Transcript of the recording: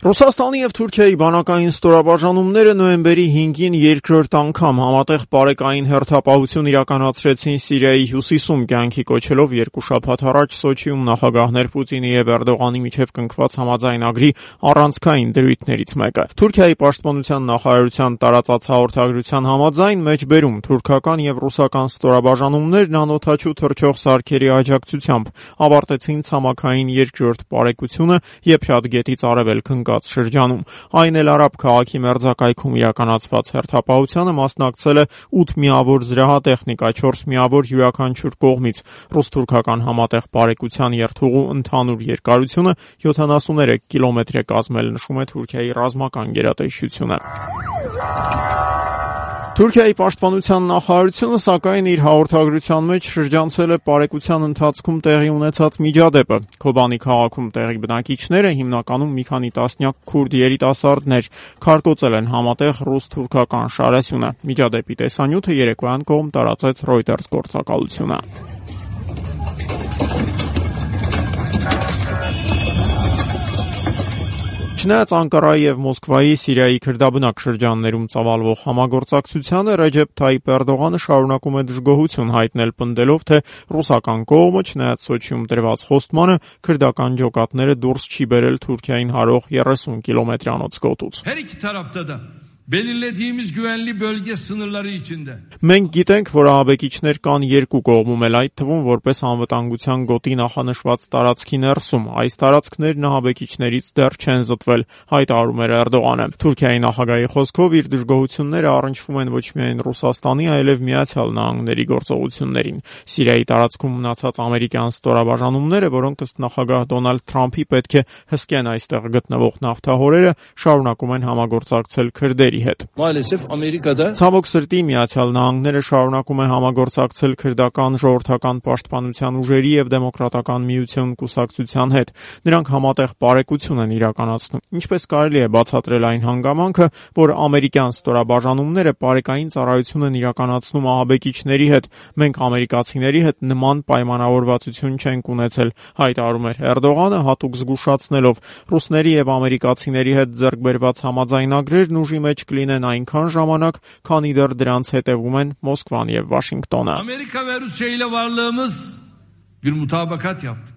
Ռուսաստանի և Թուրքիայի բանակային ստորաբաժանումները նոյեմբերի 5-ին երկրորդ անգամ համատեղ պարեկային հերթապահություն իրականացրեցին Սիրիայի հյուսիսում, կյանքի կոչելով երկու շաբաթ առաջ Սոչիում նախագահներ Պուտինի և Էրդողանի միջև կնքված համաձայնագրի առանցքային դրույթներից մեկը։ Թուրքիայի պաշտպանության նախարարության տարածած հաղորդագրության համաձայն մեջբերում թուրքական և ռուսական ստորաբաժանումներն անօդաչու թռչող սարքերի աջակցությամբ ավարտեցին ցամաքային երկրորդ պարեկությունը Եփրատ գետից արևելք շրջանում։ Այն էլ Արաբ քաղաքի մերձակայքում իրականացված հերթապահությանը մասնակցել է 8 միավոր զրահատեխնիկա, 4 միավոր յուրաքանչյուր կողմից։ Ռուս-թուրքական համատեղ պարեկության երթուղու ընդհանուր երկարությունը 73 կիլոմետր է կազմել, նշում է Թուրքիայի ռազմական գերատեսչությունը։ Թուրքիայի պաշտպանության նախարարությունը սակայն իր հաղորդագրության մեջ շրջանցել է պարեկության ընթացքում տեղի ունեցած միջադեպը։ Քոբանի քաղաքում տեղի բնակիչները, հիմնականում մի քանի տասնյակ քուրդ երիտասարդներ, քարկոծել են համատեղ ռուս-թուրքական շարասյունը։ Միջադեպի տեսանյութը երեկոյան կողմ տարածեց Reuters գործակալությունը։ Չնայած Անկարայի և Մոսկվայի Սիրիայի քրդաբնակ շրջաններում ծավալվող համագործակցությանը, Ռեջեփ Թայիփ Էրդողանը շարունակում է դժգոհություն հայտնել, պնդելով, թե ռուսական կողմը, չնայած Սոչիում տրված խոստմանը, քրդական ջոկատները դուրս չի բերել Թուրքիային հարող 30 կիլոմետրանոց գոտուց։ Belirlediğimiz güvenli bölge sınırları içinde. Մենք գիտենք, որ ահաբեկիչներ կան երկու կողմում էլ, այդ թվում որպես անվտանգության գոտի նախանշված տարածքի ներսում։ Այս տարածքներն ահաբեկիչներից դեռ չեն զտվել, հայտարարում էր Էրդողանը։ Թուրքիայի նախագահի խոսքով իր դժգոհությունները առնչվում են ոչ միայն Ռուսաստանի, այլև Միացյալ Նահանգների գործողություններին։ Սիրիայի տարածքում մնացած ամերիկյան ստորաբաժանումները, որոնք ըստ նախագահ Դոնալդ Թրամփի պետք է հսկեն այստեղ գտնվող նավթահորերը, շարունակում են համագործակցել քրդերի հետ։ Ցավոք սրտի Միացյալ Նահանգները շարունակում է համագործակցել քրդական ժողովրդական պաշտպանության ուժերի և Դեմոկրատական միություն կուսակցության հետ։ Նրանք համատեղ պարեկություն են իրականացնում։ Ինչպես կարելի է բացատրել այն հանգամանքը, որ ամերիկյան ստորաբաժանումները պարեկային ծառայություն են իրականացնում ահաբեկիչների հետ։ Մենք ամերիկացիների հետ նման պայմանավորվածություն չենք ունեցել, հայտարարում էր Էրդողանը, հատուկ զգուշացնելով, ռուսների և ամերիկացիների հետ ձեռք բերված համաձայնագրերն ուժի մեջ կլինեն այնքան ժամանակ, քանի դեռ դրանց հետևում են Մոսկվան և Վաշինգտոնը։ Amerika ve Rusya ile varlığımız bir mutabakat yaptık.